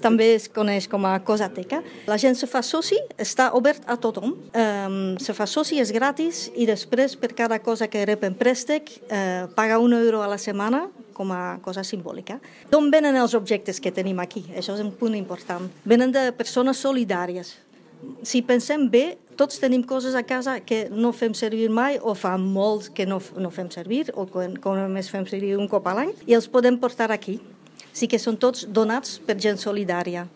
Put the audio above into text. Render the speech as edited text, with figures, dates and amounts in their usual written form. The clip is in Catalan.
També es coneix com a Cosateca. La gent se fa soci, està obert a tothom. Se fa soci, és gratis, i després per cada cosa que rep en préstec paga €1 a la setmana com a cosa simbòlica. D'on venen els objectes que tenim aquí? Això és un punt important. Venen de persones solidàries. Si pensem bé, tots tenim coses a casa que no fem servir mai o fa molts que no fem servir o que només fem servir un cop a l'any i els podem portar aquí. Sí que són tots donats per gent solidària.